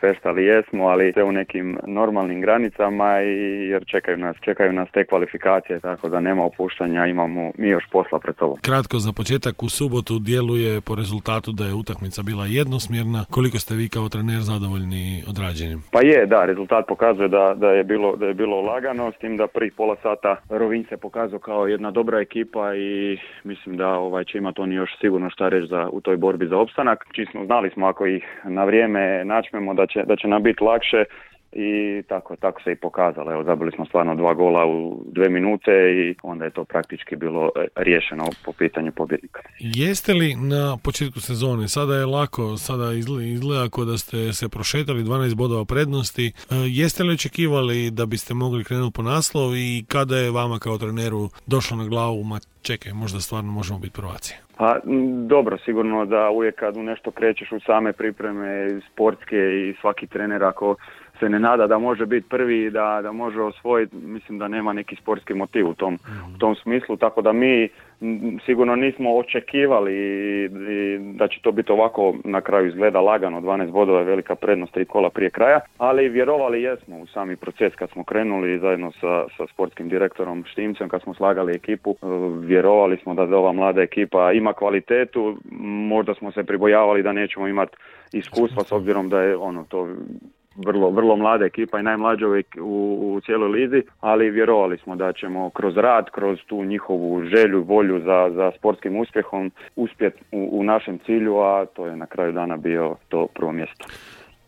feštali jesmo, ali sve u nekim normalnim granicama jer čekaju nas te kvalifikacije, tako da nema opuštanja, imamo mi još posla pred sobom. Kratko za početak, u subotu djeluje po rezultatu da je utakmica bila jednosmjerna. Koliko ste vi kao trener zadovoljni odrađenjem? Pa da, rezultat pokazuje da je bilo lagano, s tim da prvih pola sata Rovinj se pokazao kao jedna dobra ekipa i mislim da će imati oni još sigurno šta reći u toj borbi za opstanak. Čisto znali smo ako ih na vrijeme načmemo da će nam biti lakše i tako se i pokazalo. Evo, zabili smo stvarno 2 gola u 2 minute i onda je to praktički bilo riješeno po pitanju pobjednika. Jeste li na početku sezone, sada je lako, sada izgleda kao da ste se prošetali 12 bodova prednosti, jeste li očekivali da biste mogli krenuti po naslov i kada je vama kao treneru došlo na glavu, čekaj, možda stvarno možemo biti prvaci? Pa dobro, sigurno da uvijek kad u nešto krećeš u same pripreme sportske i svaki trener ako se ne nada da može biti prvi, da može osvojiti, mislim da nema neki sportski motiv u tom smislu, tako da mi sigurno nismo očekivali da će to biti ovako, na kraju izgleda lagano, 12 bodova je velika prednost, 3 kola prije kraja, ali vjerovali jesmo u sami proces kad smo krenuli zajedno sa sportskim direktorom Štimcem, kad smo slagali ekipu, vjerovali smo da ova mlada ekipa ima kvalitetu, možda smo se pribojavali da nećemo imati iskustva s obzirom da je to vrlo mlada ekipa i najmlađa u cijeloj lizi, ali vjerovali smo da ćemo kroz rad, kroz tu njihovu želju, volju za sportskim uspjehom uspjeti u našem cilju, a to je na kraju dana bio to prvo mjesto.